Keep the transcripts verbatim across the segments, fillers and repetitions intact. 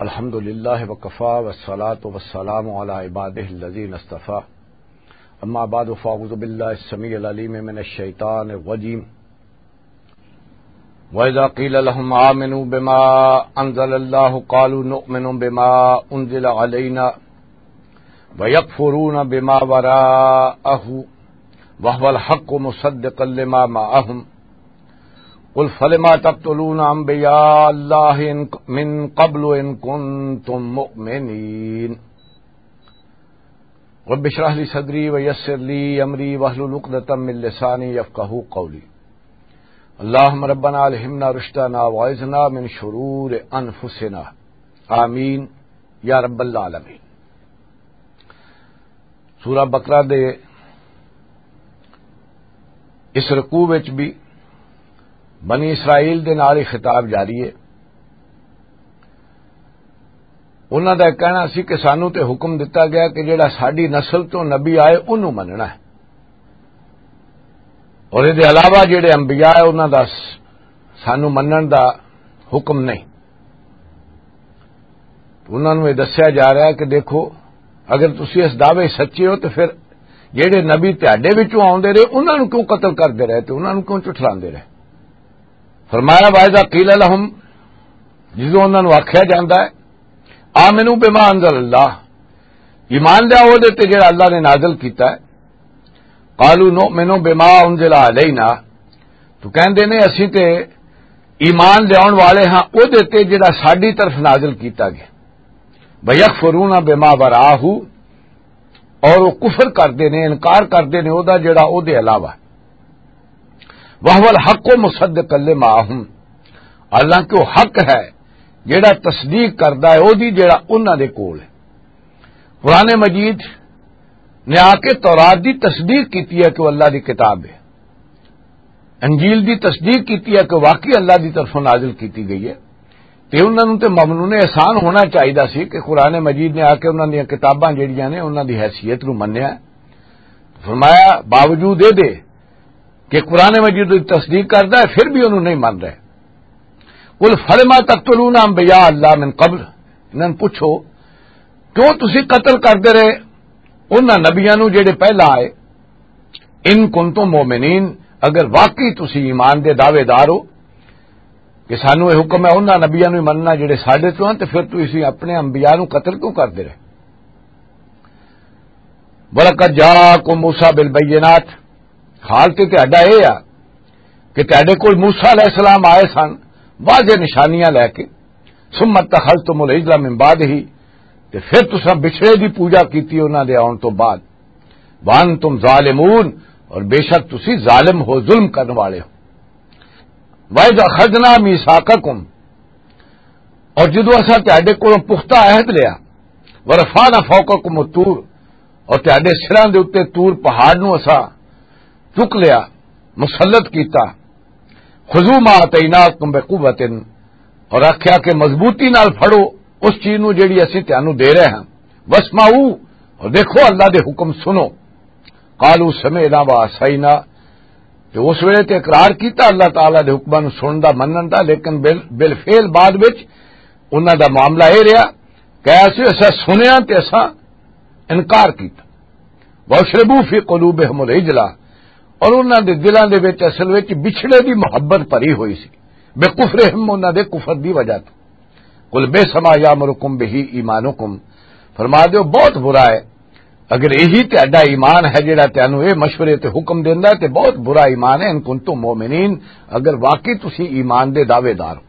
الحمد لله وكفى والصلاة والسلام على عباده الذين اصطفى. أما بعد، فأعوذ بالله السميع العليم من الشيطان الرجيم. وإذا قيل لهم آمنوا بما أنزل الله قالوا نؤمن بما أنزل علينا ويكفرون بما وراءه وهو الحق مصدقا لما معهم. قل فلم تقتلون أنبياء الله إن، من قبل إن كنتم مؤمنين. رب اشرح لي صدري ويسر لي أمري واحلل عقدة من لساني يفقهوا قولي. اللهم ربنا ألهمنا رشدنا وأعذنا من شرور أنفسنا. آمين يا رب العالمين. سورہ بقرہ دے اس رکوع وچ بھی بنی اسرائیل دے نال ہی خطاب جاری ہے۔ انہاں دا کہنا سی کہ سانوں تے حکم دتا گیا کہ جڑا ساڈی نسل تو نبی آئے، اونوں مننا ہے، اور اس دے علاوہ جڑے انبیاء ہے، انہاں دا س-، سانوں منن دا حکم نہیں۔ انہاں نوں یہ دسیا جا رہا ہے کہ دیکھو، اگر تسی اس دعوے سچے ہو تو پھر جڑے نبی تہاڈے وچوں آوندے رہے، انہاں نوں کیوں قتل کردے رہے تے انہاں نوں کیوں چٹھلاندے رہے؟ فرمایا، "وَإِذَا قِيلَ لَهُمْ"، جدوں انہاں نوں آکھیا جاندا ہے، "آمنوا بما انزل اللہ"، ایمان لیاؤ او دے تے جڑا اللہ نے نازل کیتا ہے، "قالوا نؤمن بما انزل علینا"، تو کہندے نے، "اسی تے ایمان لیاون والے ہاں او دے تے جڑا ساڈی طرف نازل کیتا گیا"، "وَيَكْفُرُونَ بِمَا وَرَاءَهُ"، اور وہ کفر کردے نے، انکار کردے نے او دا جڑا او دے علاوہ۔ وَهُوَ الْحَقُّ مُصَدِّقًا لِمَا مَعَهُمْ، حالانکہ وہ حق ہے جڑا تصدیق کردا ہے او دی جڑا انہاں دے کول ہے۔ قرآن مجید نے آ کے تورات دی تصدیق کیتی ہے کہ وہ اللہ دی کتاب ہے۔ انجیل دی تصدیق کیتی ہے کہ واقعی اللہ دی طرفوں نازل کیتی گئی ہے، تے انہاں نوں تے ممنون احسان ہونا چاہیدا سی کہ قرآن مجید نے آ کے انہاں دیاں کتاباں جڑیاں نے، انہاں دی حیثیت نوں منیا ہے۔ فرمایا، باوجود اے دے کہ قرآن مجید دی تصدیق کردا ہے، پھر بھی انہوں نہیں من رہے۔ "قل فلم تقتلون انبیاء اللہ من قبل"، انہاں نوں پوچھو، کیوں تسی قتل کردے رہے انہاں نبیاں نوں جڑے پہلا آئے؟ "ان کنتم مؤمنین"، اگر واقعی تسی ایمان دے دعوے دار ہو کہ سانوں یہ حکم ہے انہاں نبیاں نوں ہی مننا جڑے ساڈے چوں ہن، تے پھر تسی اپنے انبیاء نوں قتل کیوں کردے رہے؟ "وَلَقَدْ جَاءَكُمْ مُوسَىٰ بِالْبَيِّنَاتِ"، حال تے تہاڈا اے آ کہ تہاڈے کول موسیٰ علیہ السلام آئے سن واضح نشانیاں لے کے، "ثُمَّ اتَّخَذْتُمُ الْعِجْلَ مِن بَعْدِهِ"، تے پھر تساں بچھڑے دی پوجا کیتی انہاں دے آن تو بعد۔ "وَأَنْتُمْ ظَالِمُونَ"، اور بے شک تسی ظالم ہو، ظلم کرن والے ہو۔ "وَإِذْ أَخَذْنَا مِيثَاقَكُمْ"، اور جدوں اساں تہاڈے کولوں پختہ عہد لیا، "وَرَفَعْنَا فَوْقَكُمُ الطُّورَ"، اور تہاڈے سراں دے اُتے طور پہاڑ نوں اساں چک لیا، مسلط کیتا۔ "خذوا ما آتیناکم بقوۃ"، اور آکھیا کہ مضبوطی نال پھڑو اس چیز نوں جیڑی اسی تانوں دے رہے ہاں۔ "واسمعوا"، اور دیکھو اللہ دے حکم سنو۔ "قالوا سمعنا وعصینا"، تے اس ویلے تے اقرار کیتا اللہ تعالیٰ دے حکماں نوں سنن دا، منن دا، لیکن بال-، بالفعل بعد وچ انہاں دا معاملہ اے رہیا کہ ایسے اساں سنیا تے اساں انکار کیتا۔ "وَأُشْرِبُوا فِي قُلُوبِهِمُ الْعِجْلَ"، اور انہاں دے دلاں دے وچ اصل وچ بچھڑے دی محبت بھری ہوئی سی، "بِكُفْرِهِمْ"، انہاں دے کفر دی وجہ تو۔ "قُلْ بِئْسَ مَا يَأْمُرُكُمْ بِهِ إِيمَانُكُمْ"، فرما دیو، بہت برا ہے اگر یہی تہاڈا ایمان ہے جڑا تانوں اے مشورے تے حکم دیندا ہے، تے بہت برا ایمان ہے، "إِن كُنتُم مُّؤْمِنِينَ"، اگر واقعی تسی ایمان دے دعوے دار ہو۔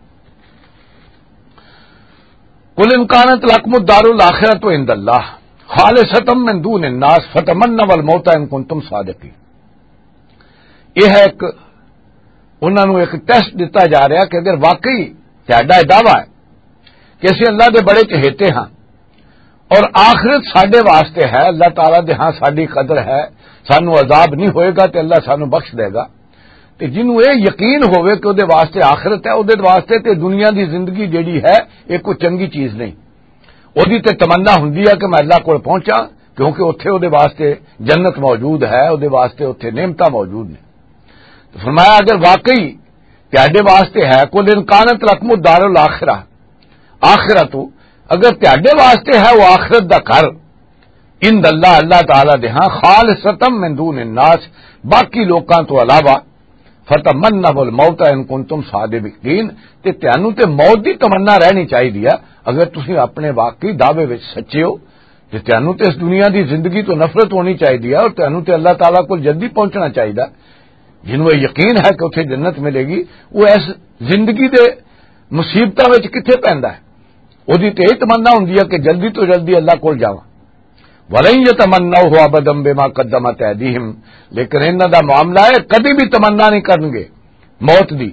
"قُلْ إِن كَانَتْ لَكُمُ الدَّارُ الْآخِرَةُ عِندَ اللَّهِ خَالِصَةً مِّن دُونِ النَّاسِ فَتَمَنَّوُا الْمَوْتَ إِن كُنتُمْ صَادِقِينَ"، یہ ہے ایک، انہاں نوں ایک ٹیسٹ دتا جا رہا کہ اگر واقعی تہاڈا یہ دعویٰ ہے کہ اسی اللہ دے بڑے چہیتے ہاں اور آخرت ساڈے واسطے ہے، اللہ تعالیٰ دے ہاں ساڈی قدر ہے، سانو عذاب نہیں ہوئے گا تے اللہ سانو بخش دے گا۔ تے جنوں اے یقین ہووے کہ اودے واسطے آخرت ہے، اودے واسطے تے دنیا دی زندگی جیڑی ہے، اے کوئی چنگی چیز نہیں۔ اودی تے تمنا ہوندی ہے کہ میں اللہ کول پہنچاں، کیونکہ اوتھے اودے واسطے جنت موجود ہے، اودے واسطے اوتھے نعمتاں موجود نے۔ تو فرمایا، اگر واقعی تہاڈے واسطے ہے، "قل إن كانت لكم الدار الآخرة، آخرت، اگر تہاڈے واسطے ہے وہ آخرت دا گھر، عند اللہ، اللہ تعالیٰ دے ہاں، خالصتم من دون الناس، باقی لوکاں تو علاوہ، فتمنوا الموت ان کنتم صادقین، تے تانوں تے موت دی تمنا رہنی چاہیے، اگر تسی اپنے واقعی دعوے وچ سچے ہو۔ تے تانوں تے اس دنیا دی زندگی تو نفرت ہونی چاہیے اور تانوں تے اللہ تعالیٰ کول جلدی پہنچنا چاہیے۔ جنوں یہ یقین ہے کہ اتھے جنت ملے گی، وہ اس زندگی دے مصیبتاں وچ کتھے پیندا ہے؟ اودی تے یہ تمنا ہوندی ہے کہ جلدی تو جلدی اللہ کول جاواں۔ ولن یتمنوہ ابدا بما قدمت ایدیہم، لیکن انہاں دا معاملہ ہے، کدی بھی تمنا نہیں کرنگے موت دی۔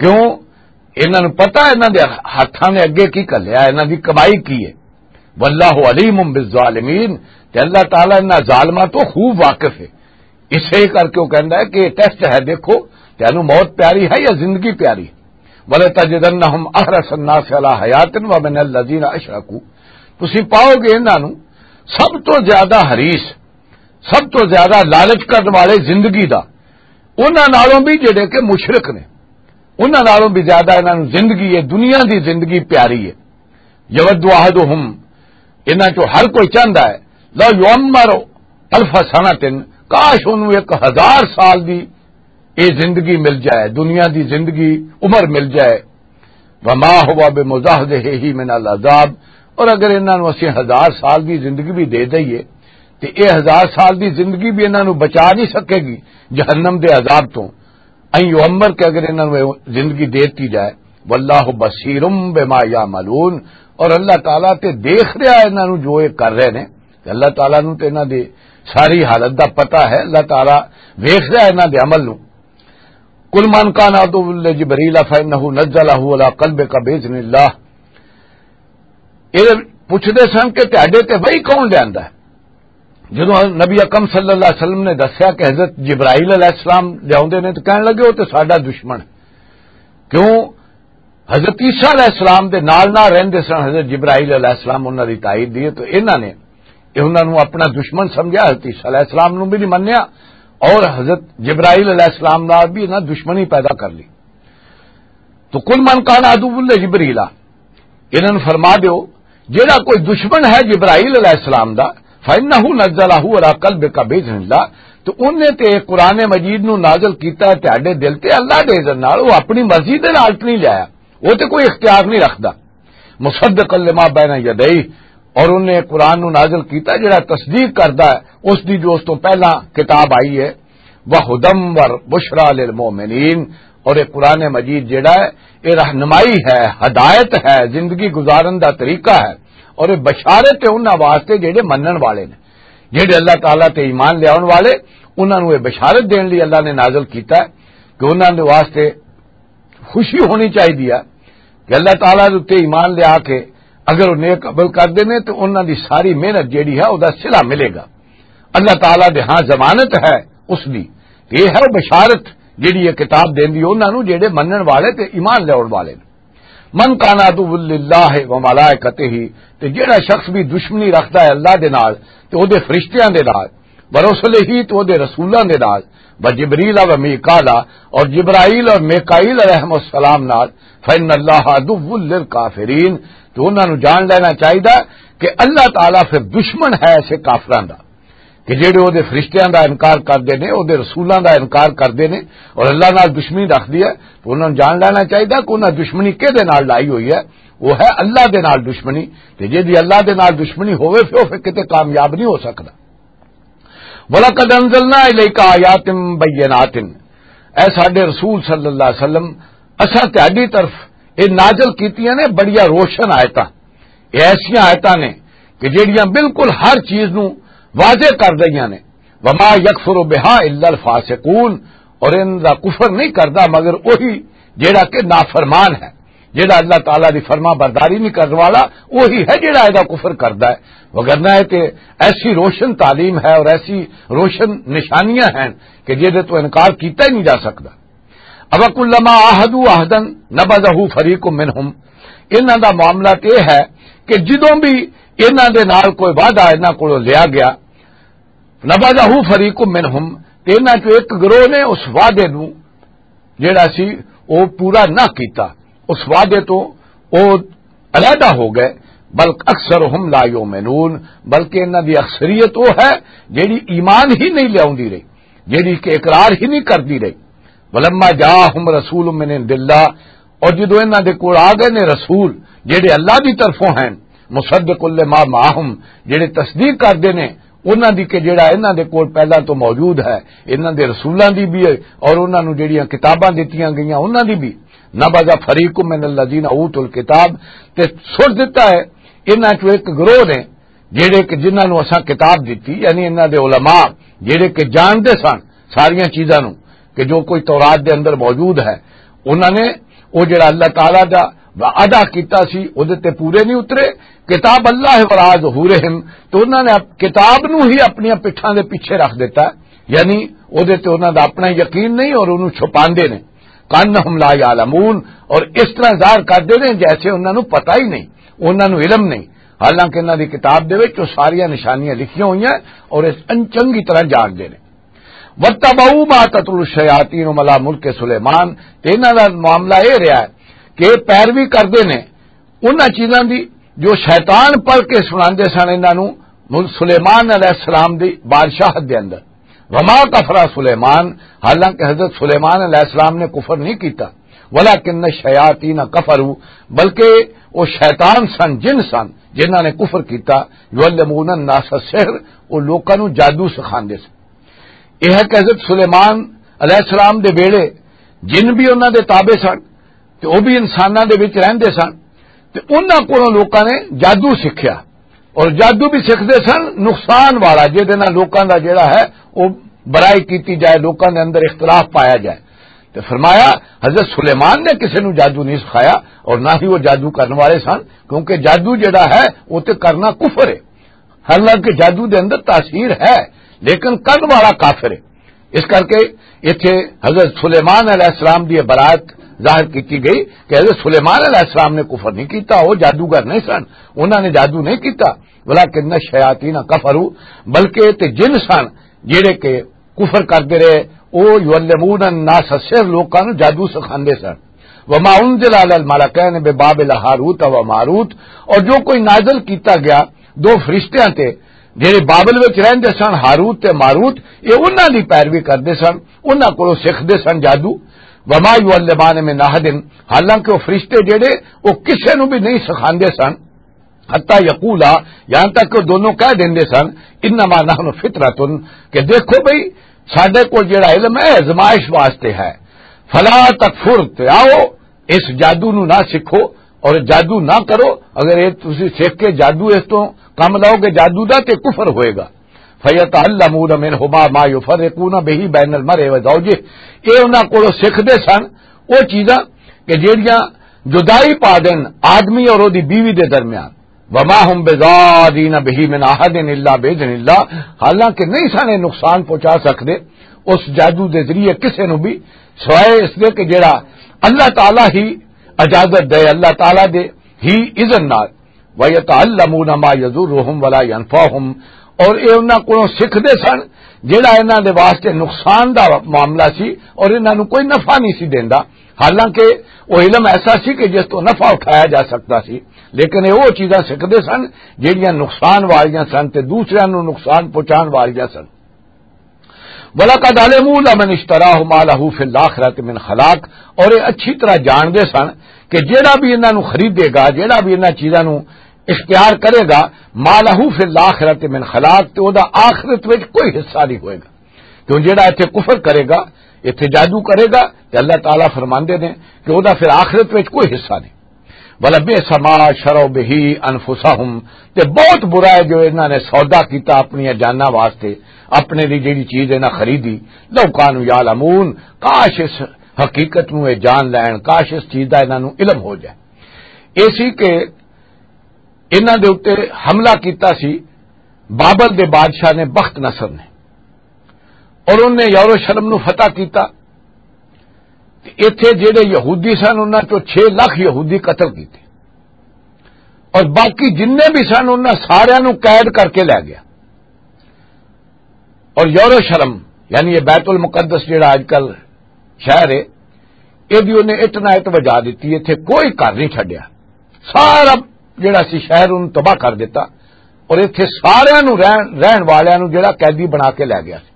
کیوں؟ انہاں نوں پتہ انہاں دے ہتھاں نے اگے کی گھلیا، انہاں دی کمائی کی ہے۔ واللہ علیم بالظالمین، تے اللہ تعالیٰ انہاں ظالماں تو خوب واقف ہے۔ اسے کر کے وہ کہندا ہے کہ یہ ٹیسٹ ہے، دیکھو تینوں موت پیاری ہے یا زندگی پیاری؟ وَلَتَجِدَنَّهُمْ أَحْرَصَ النَّاسِ عَلَىٰ حَيَاةٍ وَمِنَ الَّذِينَ أَشْرَكُوا، تسی پاؤ گے انہاں نوں سب تو زیادہ حریص، سب تو زیادہ لالچ کرن والے زندگی دا، انہاں نالوں بھی جڑے کہ مشرک نے، انہاں نالوں بھی زیادہ انہاں نوں زندگی ہے، دنیا دی زندگی پیاری ہے۔ یود احدہم، انہاں چوں ہر کوئی چاہندا ہے، لو یعمر الف سنۃ، کاش انہوں ایک ہزار سال دی یہ زندگی مل جائے، دنیا دی زندگی، عمر مل جائے۔ وما هو بمزحزحہ من العذاب، اور اگر انہاں نوں اسی ہزار سال دی زندگی بھی دے دئیے تے یہ ہزار سال دی زندگی بھی انہاں نوں بچا نہیں سکے گی جہنم دے عذاب تو۔ ان یعمر، کہ اگر انہاں نوں زندگی دے دتی جائے۔ واللہ بصیر بما یعملون، اور اللہ تعالیٰ تے دیکھ رہا ہے انہاں نوں جو یہ کر رہے نے۔ کہ اللہ تعالیٰ نوں تے انہاں دی ساری حالت دا پتہ ہے، اللہ تعالیٰ ویکھ رہا ہے انہاں دے عمل نوں۔ قل من کان عدو لجبریل فانہ نزلہ علی قلبک باذن اللہ۔ یہ پوچھتے سن کہ تہاڈے تے وحی کون لیندا ہے؟ جدوں نبی اکرم صلی اللہ علیہ وسلم نے دسیا کہ حضرت جبرائیل علیہ السلام لیاوندے نے، تو کہن لگے، "وہ تے ساڈا دشمن ہے۔" کیوں؟ حضرت عیسیٰ علیہ السلام دے نال نال رہندے سن حضرت جبرائیل علیہ السلام، انہاں دی تائید دی ہے۔ تو انہاں نے، یہ انہاں نوں اپنا دشمن سمجھا۔ حضرت عیسیٰ علیہ السلام نوں بھی نہیں منیا اور حضرت جبرائیل علیہ السلام نال بھی انہاں دشمنی پیدا کر لی۔ تو قل من کان عدو لجبریل، انہاں نوں فرما دیو، جیڑا کوئی دشمن ہے جبرائیل علیہ السلام دا، فانہ نزلہ علی قلبک باذن اللہ، تو انہیں تے قرآن مجید نو نازل کیتا ہے تہاڈے دل تے اللہ دے اذن نال، وہ اپنی مرضی دے نال تے نہیں لایا، وہ تے کوئی اختیار نہیں رکھدا۔ مصدقا لما بین یدیہ، اور انہیں قرآن نو نازل کیتا جڑا تصدیق کردا ہے اس دی جو اس تو پہلا کتاب آئی ہے۔ وہدم و بشریٰ للمؤمنین، اور یہ قرآن مجید جڑا ہے، یہ رہنمائی ہے، ہدایت ہے، زندگی گزارن دا طریقہ ہے، اور یہ بشارت ہے انہاں واسطے جڑے منن والے نے، جڑے اللہ تعالیٰ تے ایمان لیاون والے، انہاں نوں یہ بشارت دین لئی اللہ نے نازل کیتا ہے کہ انہاں دے واسطے خوشی ہونی چاہیے ہے کہ اللہ تعالیٰ دے اُتے ایمان لیا کے اگر وہ نیک عمل کردے نے تو انہاں دی ساری محنت جیڑی ہے، او دا صلہ ملے گا۔ اللہ تعالیٰ دے ہاں ضمانت ہے اس دی۔ یہ ہے وہ بشارت جیڑی یہ کتاب دیندی انہاں نوں جیڑے منن والے تے ایمان لیاون والے نے۔ من کان عدو للہ و ملائکتہ، تے جیڑا شخص بھی دشمنی رکھدا ہے اللہ دے نال تے او دے فرشتیاں دے نال، و رسلہ، تے او دے رسولاں دے نال، و جبریل و میکالا، اور جبرائیل اور میکائیل علیہ السلام نال، فإن اللہ عدو للکافرین، تو انہاں نوں جان لینا چاہیدا کہ اللہ تعالیٰ پھر دشمن ہے ایسے کافراں دا، کہ جڑے او دے فرشتیاں دا انکار کردے نے، او دے رسولاں دا انکار کردے نے، اور اللہ نال دشمنی رکھدی ہے، تو انہاں نوں جان لینا چاہیدا کہ انہاں دشمنی کہدے نال لائی ہوئی ہے۔ وہ ہے اللہ دے نال دشمنی، تے جے دی اللہ دے نال دشمنی ہووے، پھر او پھر کتے کامیاب نہیں ہو سکدا۔ وَلَقَدْ أَنزَلْنَا إِلَيْكَ آيَاتٍ بَيِّنَاتٍ، اے ساڈے رسول صلی اللہ علیہ وسلم، اساں تہاڈی طرف یہ نازل کیتیاں نے بڑیاں روشن آیتاں۔ یہ ایسیاں آیتاں نے کہ جیڑیاں بالکل ہر چیز نو واضح کر رہیاں نے۔ وَمَا يَكْفُرُ بِهَا إِلَّا الْفَاسِقُونَ، اور ان دا کفر نہیں کردا مگر وہی جیڑا کہ نافرمان ہے، جیڑا اللہ تعالیٰ دی فرما برداری نہیں کرنے والا، وہی ہے جیڑا ادا کفر کردا ہے۔ وگرنہ یہ تے ایسی روشن تعلیم ہے اور ایسی روشن نشانیاں ہیں کہ جہدے تو انکار کیتا ہی نہیں جا سکدا۔ أَوَكُلَّمَا عَاهَدُوا عَهْدًا نَبَذَهُ فَرِيقٌ مِّنْهُمْ، انہاں دا معاملہ تے یہ ہے کہ جدوں بھی انہاں دے نال کوئی وعدہ انہاں کولوں لیا گیا، نبذہ فریق منہم، تے انہاں چوں ایک گروہ نے اس وعدے نو جیڑا سی او پورا نہ کیتا، اس وعدے تو او علیحدہ ہو گئے۔ بل اکثرہم لا یؤمنون، بلکہ انہاں دی اکثریت وہ ہے جیڑی ایمان ہی نہیں لیاوندی رہی، جیڑی کہ اقرار ہی نہیں کردی رہی۔ ولما جاءہم رسول من عند اللہ، اور جدوں انہاں دے کول آ گئے نے رسول جیڑے اللہ دی طرفوں ہیں، مصدق لما معہم، جیڑے تصدیق کردے نے انہاں دی کہ جیڑا انہاں دے کول پہلاں تو موجود ہے، انہاں دے رسولاں دی بھی، اور انہاں نوں جیڑیاں کتاباں دتیاں گئیاں انہاں دی بھی، نبذ فریق من الذین اوتوا الکتاب، تے سٹ دتا ہے انہاں چوں ایک گروہ نے، جیڑے کہ جنہاں نوں اساں کتاب دتی، یعنی انہاں دے علماء جیڑے کہ جانتے سن ساریاں چیزاں نوں، کہ جو کوئی تورات دے اندر موجود ہے، انہاں نے وہ جڑا اللہ تعالیٰ دا وعدہ کیتا سی، وہ دے تے پورے نہیں اترے۔ کتاب اللہ وراء ظہورہم، تو انہاں نے اپ-، کتاب نوں ہی اپنی پٹھاں دے پیچھے رکھ دیتا، یعنی وہ دے تے انہاں دا اپنا یقین نہیں اور انہوں چھپاندے نے۔ کانہم لا یعلمون، اور اس طرح ظاہر کردے نے جیسے انہاں نوں پتہ ہی نہیں، انہاں نوں علم نہیں، حالانکہ انہاں دی کتاب دے وچ وہ ساریاں نشانیاں لکھیاں ہوئیاں اور اس ان چنگی طرح جانتے نے۔ وَاتَّبَعُوا مَا تَتْلُو الشَّيَاطِينُ عَلَىٰ مُلْكِ سُلَيْمَانَ، تے انہاں دا معاملہ یہ رہا ہے کہ پیروی کردے نے انہاں چیزاں دی جو شیطان پڑھ کے سناندے سن انہاں نوں مل-، سلیمان علیہ السلام دی بادشاہت دے اندر۔ وما کفر سلیمان، حالانکہ حضرت سلیمان علیہ السلام نے کفر نہیں کیتا، ولکن الشیاطین کفروا، بلکہ وہ شیطان سن، جن سن، جنہاں نے کفر کیتا، یعلمون الناس السحر، وہ لوکاں نوں جادو سکھاندے سن۔ یہ ہے کہ حضرت سلیمان علیہ السلام دے ویلے جن بھی انہاں دے تابع سن تے او بھی انساناں دے وچ رہندے سن، تے انہاں کولوں لوکاں نے جادو سکھیا، اور جادو بھی سکھدے سن نقصان والا، جہدے نال لوکاں دا جڑا ہے او برائی کیتی جائے، لوکاں دے اندر اختلاف پایا جائے۔ تے فرمایا، حضرت سلیمان نے کسے نوں جادو نہیں سکھایا، اور نہ ہی وہ جادو کرن والے سن، کیونکہ جادو جڑا ہے وہ تے کرنا کفر ہے۔ حالانکہ جادو دے اندر تاثیر ہے، لیکن کرن والا کافر ہے۔ اس کر کے اتھے حضرت سلیمان علیہ السلام دی یہ برات ظاہر کیتی گئی کہ حضرت سلیمان علیہ السلام نے کفر نہیں کیتا، وہ جادوگر نہیں سن، انہاں نے جادو نہیں کیتا، ولکن الشیاطین کفروا، بلکہ تے جن سن جڑے کہ کفر کردے رہے، او یعلمون الناس السحر، لوکاں نوں جادو سکھاندے سن۔ وما انزل علی الملکین ببابل ہاروت و ماروت، اور جو کوئی نازل کیتا گیا دو فرشتیاں تے، جڑے بابل وچ رہندے سن، ہاروت تے ماروت، یہ انہاں دی پیروی کردے سن، انہاں کولوں سکھدے سن جادو۔ وما یعلمان من احد، حالانکہ وہ فرشتے جڑے، وہ کسے نوں بھی نہیں سکھاندے سن۔ حتی یقولا، یہاں تک کہ وہ دونوں کہہ دیندے سن، انما نحن فتنۃ، کہ دیکھو بھئی، ساڈے کول جڑا علم ہے، آزمائش واسطے ہے۔ فلا تکفر، تے آؤ، اس جادو نو نہ سکھو اور جادو نہ کرو۔ اگر یہ تسی سکھ کے جادو اس تو کم لاؤ گے، جادو دا، تے کفر ہوئے گا۔ فیتعلمون منہما ما یفرقون بہ بین المرء و زوجہ، یہ انہاں کولوں سکھدے سن وہ چیزاں کہ جڑیاں جدائی پا دین آدمی اور اودی بیوی دے درمیان۔ وما هم بضارین بہ من احد الا باذن اللہ، حالانکہ نہیں سانے نقصان پہنچا سکدے اس جادو دے ذریعے کسے نو بھی، سوائے اس دے کہ جڑا اللہ تعالیٰ ہی اجازت دے، اللہ تعالیٰ دے ہی اذن نال۔ وَيَتَعَلَّمُونَ مَا يَضُرُّهُمْ وَلَا يَنفَعُهُمْ، اور یہ انہاں کولوں سکھدے سن جڑا انہاں دے واسطے نقصان دا معاملہ سی اور انہاں نوں کوئی نفع نہیں سی دیندا، حالانکہ وہ علم ایسا سی کہ جس تو نفع اٹھایا جا سکدا سی، لیکن یہ وہ چیزاں سکھدے سن جڑیاں نقصان والیاں سن تے دوسریاں نوں نقصان پہنچان والیاں سن۔ وَلَقَدْ عَلِمُوا لَمَنِ اشْتَرَاهُ مَا لَهُ فِي الْآخِرَةِ مِنْ خَلَاقٍ، اور یہ اچھی طرح جاندے سن کہ جیڑا بھی انہاں نوں خریدے گا، جیڑا بھی انہاں چیزاں نوں اختیار کرے گا، مَا لَهُ فِي الْآخِرَةِ مِنْ خَلَاقٍ، تے او دا آخرت وچ کوئی حصہ نہیں ہوئے گا۔ کیوں جیڑا ایتھے کفر کرے گا، ایتھے جادو کرے گا، تے اللہ تعالیٰ فرماندے نے کہ او دا پھر آخرت وچ کوئی حصہ نہیں۔ وَلَبِئْسَ مَا شَرَوْا بِهِ أَنفُسَهُمْ، تے بہت برا ہے جو انہاں نے سودا کیتا اپنی جاناں واسطے، اپنے دی جڑی چیز انہاں خریدی۔ لَوْ كَانُوا يَعْلَمُونَ، کاش اس حقیقت نوں یہ جان لین، کاش اس چیز دا انہاں نوں علم ہو جائے۔ ایسی کہ انہاں دے اُتے حملہ کیتا سی بابل دے بادشاہ نے، بخت نصر نے، اور انہوں نے یروشلم نوں فتح کیتا۔ تے ایتھے جڑے یہودی سن، انہاں چوں چھ لاکھ یہودی قتل کیتے، اور باقی جننے بھی سن، انہاں ساریاں نوں قید کر کے لے گیا۔ اور یروشلم، یعنی یہ بیت المقدس جڑا اج کل شہر ہے، یہ بھی انہیں اٹ نہ اٹ وجا دیتی، ایتھے کوئی گھر نہیں چھڈیا، سارا جڑا سی شہر انہوں تباہ کر دیتا، اور اتھے ساریاں نوں رہن، رہن والیاں نوں جڑا قیدی بنا کے لے گیا سی۔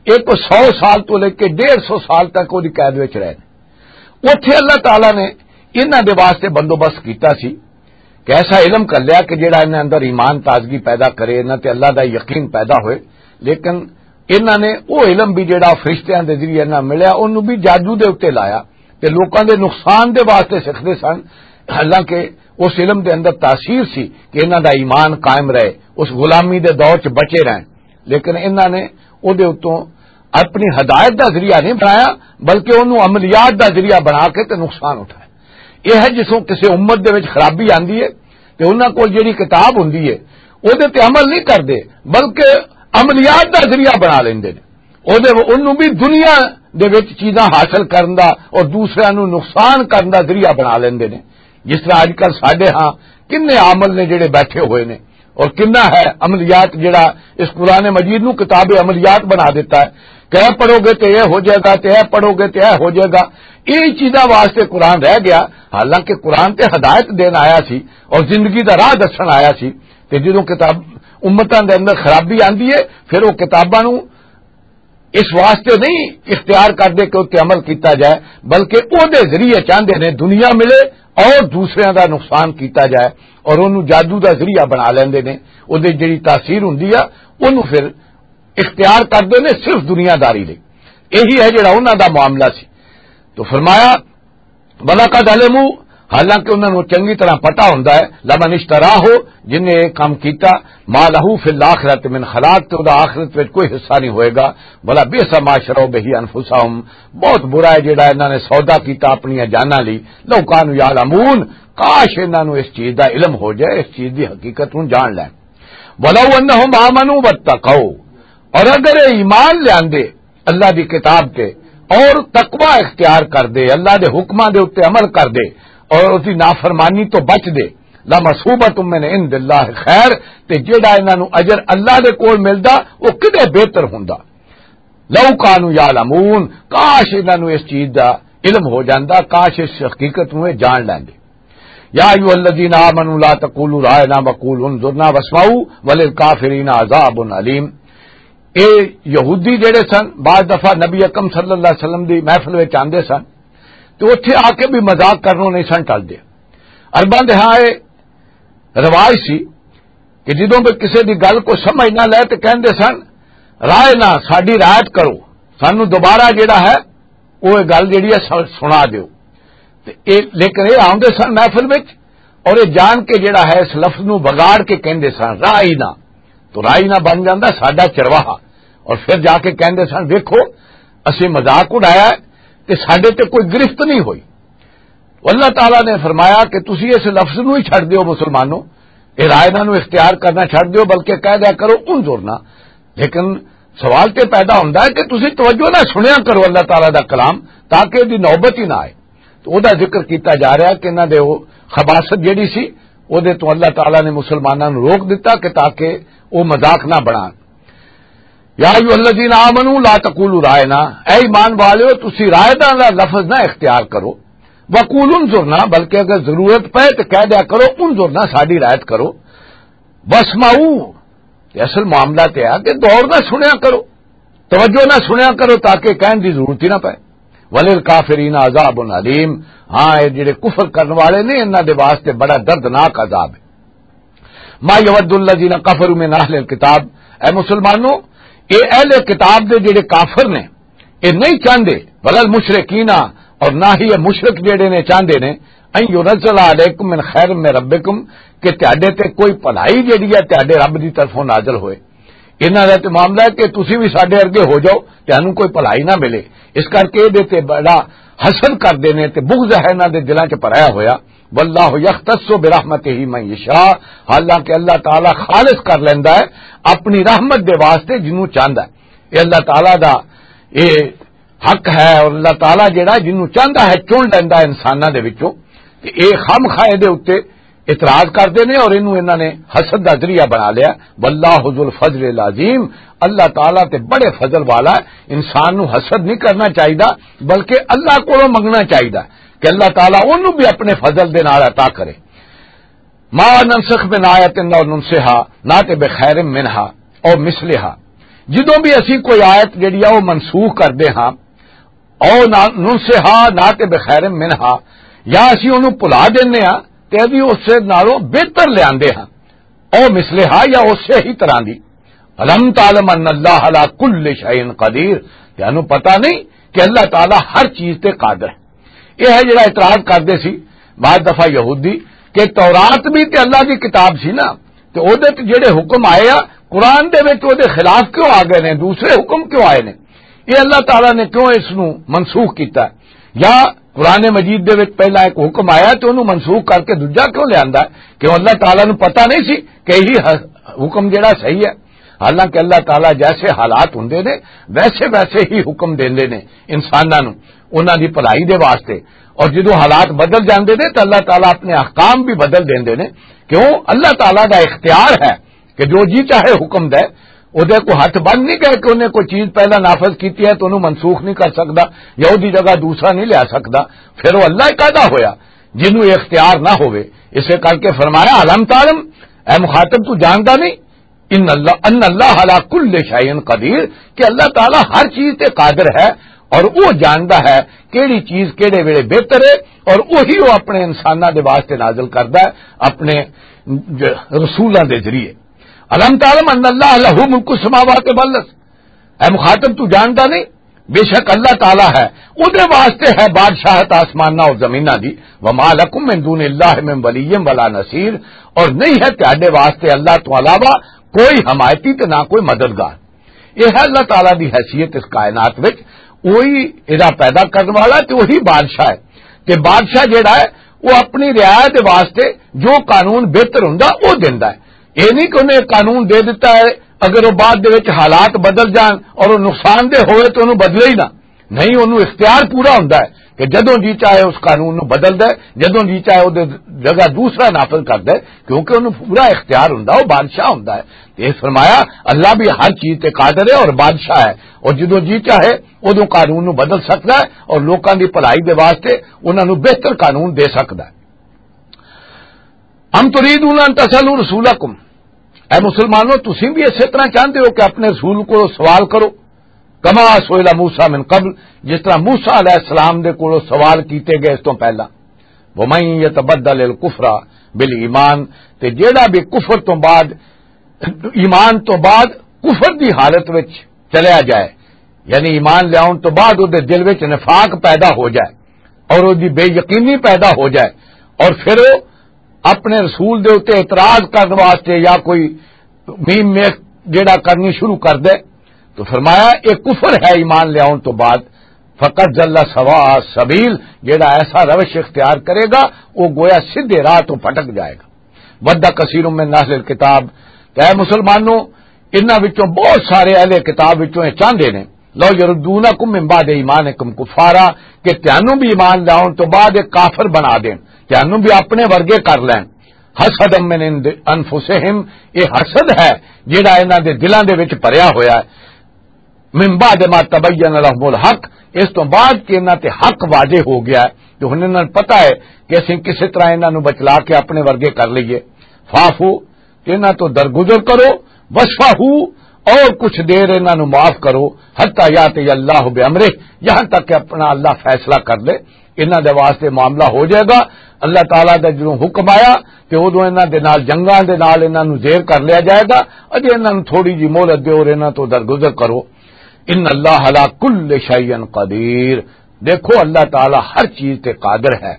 ایک سو سال تو لے کے ڈیڑھ سو سال تک وہدی قید وچ رہے۔ اتھے اللہ تعالیٰ نے انہاں دے واسطے بندوبست کیتا سی کہ ایسا علم کر لیا کہ جڑا انہاں اندر ایمان تازگی پیدا کرے، انہاں تے اللہ دا یقین پیدا ہوئے۔ لیکن انہاں نے وہ علم بھی جڑا فرشتیاں دے ذریعے نہ ملیا، انہوں بھی جادو دے اُتے لایا تے لوکاں دے نقصان دے واسطے سکھدے سن۔ حالانکہ اس علم دے اندر تاثیر سی کہ انہاں دا ایمان قائم رہے، اس غلامی دے دور چ بچے رہن۔ لیکن انہاں نے او دے اتوں اپنی ہدایت دا ذریعہ نہیں بنایا، بلکہ انہوں عملیات دا ذریعہ بنا کے تے نقصان اٹھایا۔ یہ ہے جسوں کسی امت دے وچ خرابی آندی ہے تے انہاں کول جڑی کتاب ہوندی ہے، او دے تے عمل نہیں کردے، بلکہ عملیات دا ذریعہ بنا لیندے نے۔ او دے، انہوں بھی دنیا دے وچ چیزاں حاصل کرن دا اور دوسرے نوں نقصان کرن دا ذریعہ بنا لیندے نے۔ جس طرح اج کل ساڈے ہاں کنے عامل نے جڑے بیٹھے ہوئے نے، اور کنا ہے عملیات جڑا اس قرآن مجید نو کتاب عملیات بنا دیتا ہے کہ اے پڑھو گے تے اے ہو جائے گا، تے اے پڑھو گے تے اے ہو جائے گا۔ یہ چیزاں واسطے قرآن رہ گیا، حالانکہ قرآن تے ہدایت دین آیا سی اور زندگی دا راہ دسن آیا سی۔ تے جدوں کتاب، امتاں دے اندر خرابی آندی ہے، پھر وہ کتاباں نو اس واسطے نہیں اختیار کردے کہ اتنے عمل کیتا جائے، بلکہ او دے ذریعے چاہندے نے دنیا ملے اور دوسریاں دا نقصان کیتا جائے، اور انہوں جادو دا ذریعہ بنا لیندے نے۔ او دے جڑی تاثیر ہوندی آ، انہوں پھر اختیار کردے نے صرف دنیا داری لئی۔ یہی ہے جڑا انہاں دا معاملہ سی۔ تو فرمایا، وَلَقَدْ عَلِمُوا، حالانکہ انہاں نوں چنگی طرح پتہ ہوندا ہے، لَمَنِ اشْتَرَاهُ، جن نے یہ کام کیتا، مَا لَهُ فِي الْآخِرَةِ مِنْ خَلَاقٍ، تے اوہدا آخرت وچ کوئی حصہ نہیں ہوئے گا۔ وَلَبِئْسَ مَا شَرَوْا بِهِ أَنْفُسَهُمْ، بہت برا ہے جڑا انہاں نے سودا کیتا اپنی جاناں لئی۔ لَوْ كَانُوا يَعْلَمُونَ، کاش انہاں نوں اس چیز دا علم ہو جائے، اس چیز دی حقیقت نوں جان لین۔ وَلَوْ أَنَّهُمْ آمَنُوا وَاتَّقَوْا، اور اگر یہ ایمان لیاندے اللہ دی کتاب تے اور تقوی اختیار کر دے، اللہ دے حکماں دے اُتے عمل کر دے اور اس دی نافرمانی تو بچ دے، لَمَثُوبَةٌ مِّنْ عِندِ اللَّهِ خَيْرٌ، تے جیڑا انہاں نوں اجر اللہ دے کول ملدا، او کدے بہتر ہوندا۔ لَوْ كَانُوا يَعْلَمُونَ، کاش انہاں نوں اس چیز دا علم ہو جاندا، کاش اس حقیقت نوں اے جان لیندے۔ يَا أَيُّهَا الَّذِينَ آمَنُوا لَا تَقُولُوا رَاعِنَا وَقُولُوا انظُرْنَا وَاسْمَعُوا وَلِلْكَافِرِينَ عَذَابٌ أَلِيمٌ۔ اے یہودی جڑے سن، بعض دفعہ نبی اکرم صلی اللہ علیہ وسلم دی محفل وچ آندے سن، تے اوتھے آ کے بھی مذاق کرنوں نہیں سن ٹلدے۔ عرباں دے ہاں اے رواج سی کہ جدوں بھی کسے دی گل کو سمجھ نہ لے تے کہندے سن، "رائے نہ، ساڈی رعایت کرو، سانو دوبارہ جڑا ہے، او اے گل جڑی ہے س-، سنا دیو۔" تے اے، لیکن اے آندے سن محفل وچ، اور اے جان کے جڑا ہے اس لفظ نو بگاڑ کے کہندے سن، "رائی نہ۔" تو رائی نہ بن جاندا ساڈا چرواہا، اور پھر جا کے کہندے سن، "ویکھو، اسیں مذاق اڑایا ہے تے ساڈے تے کوئی گرفت نہیں ہوئی۔" اللہ تعالیٰ نے فرمایا کہ تسی اس لفظ نو ہی چھڈ دیو مسلمانوں، اے رائی نہ نو اختیار کرنا چھڈ دیو، بلکہ کہہ دیا کرو، "انظرنا۔" لیکن سوال تے پیدا ہوندا ہے کہ تسی توجہ نہ سنیا کرو اللہ تعالیٰ دا کلام، تاکہ دی نوبت ہی نہ آئے۔ تو او دا ذکر کیتا جا رہا ہے کہ انہاں دے او خباثت جڑی سی، او دے تو اللہ تعالیٰ نے مسلماناں نوں روک دتا کہ تاکہ او مذاق نہ بنان۔ "یا ایھا الذین آمنوا لا تقولوا رائنا"، اے ایمان والیو، تسی رائے دا لفظ نہ اختیار کرو، "وقولوا انظرنا"، بلکہ اگر ضرورت پے تو کہہ دیا کرو، "انظرنا"، ساڈی رعایت کرو، "واسمعوا"۔ تے اصل معاملہ تے ہے کہ دور نہ سنیا کرو، توجہ نہ سنیا کرو، تاکہ کہن دی ضرورت ہی نہ پے۔ "وللکافرین عذاب علیم"، ہاں، اے جڑے کفر کرن والے نے، انہاں دے واسطے بڑا دردناک عذاب ہے۔ "ما یود الذین کفروا من اہل الکتاب"، اے مسلمانوں، اے اہل کتاب دے جڑے کافر نے، اے نہیں چاہندے، "ولل مشرکین"، اور نہ ہی اے مشرک جڑے نے چاہندے نے، "ان ینزل علیکم من خیر من ربکم"، کہ تہاڈے تے کوئی بھلائی جڑی ہے تہاڈے رب دی طرفوں نازل ہوئے۔ انہاں دا تے معاملہ ہے کہ تسی وی ساڈے ارگے ہو جاؤ، تہانوں کوئی بھلائی نہ ملے۔ اس کر کے دے تے بڑا حسد کردے نے تے بغض ہے انہاں دے دلاں چ بھرایا ہویا۔ "واللہ یختص برحمتہ من یشاء"، حالانکہ اللہ تعالیٰ خالص کر لیندا ہے اپنی رحمت دے واسطے جنوں چاہندا ہے۔ یہ اللہ تعالیٰ دا یہ حق ہے، اور اللہ تعالیٰ جڑا جنوں چاہندا ہے چن لیندا ہے انساناں دے وچوں۔ تے یہ خام خواہ دے اُتے اعتراض کردے نے اور اینوں انہاں نے حسد دا ذریعہ بنا لیا۔ "واللہ ذو الفضل العظیم"، اللہ تعالیٰ تے بڑے فضل والا ہے۔ انسان نو حسد نہیں کرنا چاہیدا، بلکہ اللہ کولوں منگنا چاہیدا کہ اللہ تعالیٰ اونوں بھی اپنے فضل دے نال عطا کرے۔ ما ننسخ من آیت او ننسہا نات بخیر منہا او مثلہا۔ جدوں بھی اسی کوئی آیت جڑی آ، او منسوخ کردے ہاں، او نا-، ننسہا نات بخیر منہا، یا اسی اونوں بھلا دینے ہاں تے ابھی اس سے نالوں بہتر لیاندے ہاں، او مثلہا، یا اسے ہی طرح دی۔ الم تعلم ان اللہ علی کل شیء قدیر؟ تانوں پتہ نہیں کہ اللہ تعالیٰ ہر چیز تے قادر ہے؟ یہ ہے جڑا اعتراض کردے سی بعض دفعہ یہودی کہ تورات بھی تے اللہ دی کتاب سی نا، تے او دے تے جڑے حکم آئے آ قرآن دے وچ، او دے خلاف کیوں آ گئے نے؟ دوسرے حکم کیوں آئے نے؟ یہ اللہ تعالیٰ نے کیوں اس نو منسوخ کیتا ہے؟ یا قرآن مجید دے وچ پہلا ایک حکم آیا تے اونوں منسوخ کر کے دوجا کیوں لیاندا ہے؟ کیوں اللہ تعالیٰ نو پتہ نہیں سی کہ یہی ح-، حکم جڑا صحیح ہے؟ حالانکہ اللہ تعالیٰ جیسے حالات ہوندے نے، ویسے ویسے ہی حکم دیندے نے انساناں نوں، انہاں دی بھلائی دے واسطے۔ اور جدوں حالات بدل جاندے نے تو اللہ تعالیٰ اپنے احکام بھی بدل دیندے نے۔ کیوں؟ اللہ تعالیٰ دا اختیار ہے کہ جو جی چاہے حکم دے، او دے کو ہاتھ بند نہیں کر کے انہیں کوئی چیز پہلا نافذ کیتی ہے تو انہوں منسوخ نہیں کر سکدا، یا او دی جگہ دوسرا نہیں لیا سکدا۔ پھر وہ اللہ کہدا ہویا جنوں یہ اختیار نہ ہوئے۔ اسے کر کے فرمایا، الم تعلم، اے مخاطب، تو جاندا نہیں؟ ان اللہ، ان اللہ علی کل شیء قدیر، کہ اللہ تعالیٰ ہر چیز تے قادر ہے اور وہ جاندا ہے کیڑی چیز کیڑے ویلے بہتر ہے، اور وہی وہ اپنے انساناں دے واسطے نازل کردا ہے اپنے ج-، رسولاں دے ذریعے۔ الم تعلم ان اللہ لہ ملک السماوات والارض؟ اے مخاطب، تو جاندا نہیں؟ بے شک اللہ تعالیٰ ہے، اودے واسطے ہے بادشاہت آسماناں اور زمیناں دی۔ وما لکم من دون اللہ من ولی ولا نصیر، اور نہیں ہے تہاڈے واسطے اللہ تو علاوہ کوئی حمایتی تے نہ کوئی مددگار۔ یہ ہے اللہ تعالیٰ دی حیثیت اس کائنات وچ۔ وہی ادا پیدا کرن والا تے وہی بادشاہ ہے۔ تے بادشاہ جڑا ہے، وہ اپنی رعایا دے واسطے جو قانون بہتر ہوندا، وہ دیندا ہے۔ یہ نہیں کہ انہیں قانون دے دیتا ہے، اگر وہ بعد دے وچ حالات بدل جان اور وہ نقصان دہ ہوئے تو انہوں بدلے ہی نہ۔ نہیں، انہوں اختیار پورا ہوندا ہے کہ جدوں جی چاہے اس قانون نو بدل دے، جدوں جی چاہے وہ جگہ دوسرا نافذ کر دے، کیونکہ انہوں پورا اختیار ہوندا، وہ بادشاہ ہوندا ہے۔ تے فرمایا، اللہ بھی ہر چیز تے قادر ہے اور بادشاہ ہے، اور جدوں جی چاہے ادوں قانون نو بدل سکدا ہے اور لوکاں دی بھلائی دے واسطے انہاں نو بہتر قانون دے سکدا ہے۔ ام تريدون ان تسألوا رسولكم، اے مسلمانوں، تسی بھی اسی طرح چاہتے ہو کہ اپنے رسول کو سوال کرو؟ کما سئل موسیٰ من قبل، جس طرح موسیٰ علیہ السلام دے کولوں سوال کیتے گئے اس تو پہلا۔ ومن يتبدل الكفر بالإيمان، تے جیڑا بھی کفر تو بعد، ایمان تو بعد کفر دی حالت وچ چلیا جائے، یعنی ایمان لیاؤن تو بعد او دے دل وچ نفاق پیدا ہو جائے اور او دی بے یقینی پیدا ہو جائے، اور پھر او اپنے رسول دے اتے اعتراض کرن واسطے یا کوئی میم میخ جیڑا کرنی شروع کر دے، تو فرمایا، یہ کفر ہے ایمان لیاؤن تو بعد۔ فقد ضل سواء السبيل، جیڑا ایسا روش اختیار کرے گا، وہ گویا سیدھے راہ تو پھٹک جائے گا۔ ود کثیر من اہل الکتاب، کہ اے مسلمانوں، انہاں وچوں بہت سارے اہل کتاب وچوں یہ چاہندے نے، لو یردونکم من بعد ایمانکم کفارا، کہ تانوں بھی ایمان لاؤن تو بعد ایک کافر بنا دین، تانوں بھی اپنے ورگے کر لین۔ حسدا من عند انفسہم، یہ حسد ہے جڑا انہاں دے دلاں دے وچ بھریا ہویا ہے۔ من بعد ما تبین لهم الحق، اس تو بعد کہ انہاں تے حق واضح ہو گیا ہے، تو ہن انہاں نوں پتہ ہے کہ اسیں کسے طرح انہاں نوں بچلا کے اپنے ورگے کر لئیے۔ فاعفو، انہاں تو درگزر کرو، وصفحو، اور کچھ دیر انہاں نوں معاف کرو، حتی یاتی اللہ بامرہ، یہاں تک کہ اپنا اللہ فیصلہ کر لے، انہاں دے واسطے معاملہ ہو جائے گا۔ اللہ تعالیٰ دا جدوں حکم آیا تے ادوں انہاں دے نال جنگاں دے نال انہاں نوں زیر کر لیا جائے گا۔ اجے انہاں نوں تھوڑی جی مہلت دیو اور انہاں تو درگزر کرو۔ ان اللہ علی کل شیء قدیر، دیکھو اللہ تعالیٰ ہر چیز تے قادر ہے۔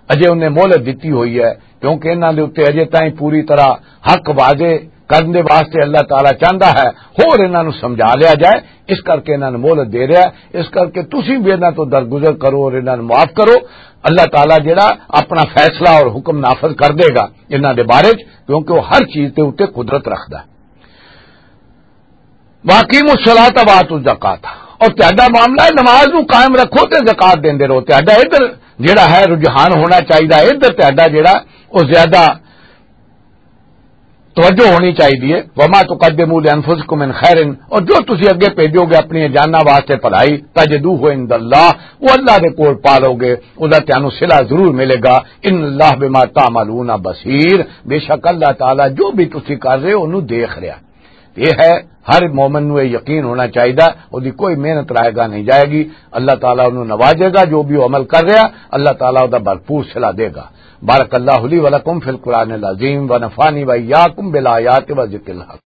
اجے انہیں مہلت دتی ہوئی ہے، کیونکہ انہاں دے اُتے اجے تائیں پوری طرح حق واضح کرن دے واسطے اللہ تعالیٰ چاہندا ہے، ہور انہاں نوں سمجھا لیا جائے، اس کر کے انہاں نوں مہلت دے رہا ہے۔ اس کر کے تسی بھی انہاں تو درگزر کرو اور انہاں نوں معاف کرو۔ اللہ تعالیٰ جڑا اپنا فیصلہ اور حکم نافذ کر دے گا انہاں دے بارے چ، کیونکہ وہ ہر چیز دے اُتے قدرت رکھدا ہے۔ واقیموا الصلاۃ وآتوا الزکوۃ، اور تہاڈا معاملہ ہے نماز نو قائم رکھو تے زکوٰۃ دیندے رہو۔ تہاڈا ادھر جڑا ہے رجحان ہونا چاہیدا ہے، ادھر تہاڈا جڑا وہ زیادہ توجہ ہونی چاہیے۔ وما تقدموا لانفسکم من خیر، اور جو تسی اگے بھیجو گے اپنی جاناں واسطے بھلائی، تجدوہ عند اللہ، وہ اللہ دے کول پالو گے، او دا تانوں صلہ ضرور ملے گا۔ ان اللہ بما تعملون بصیر، بے شک اللہ تعالیٰ جو بھی تسی کر رہے ہو، انہوں دیکھ رہا۔ یہ ہے، ہر مومن نوں یہ یقین ہونا چاہیے، او دی کوئی محنت رائے گا نہیں جائے گی۔ اللہ تعالیٰ انہوں نوازے گا، جو بھی وہ عمل کر رہا، اللہ تعالیٰ او دا بھرپور صلہ دے گا۔ بارک اللہ لی ولکم فی القرآن العظیم ونفعنی وإیاکم بالآیات و ذکر الحکیم۔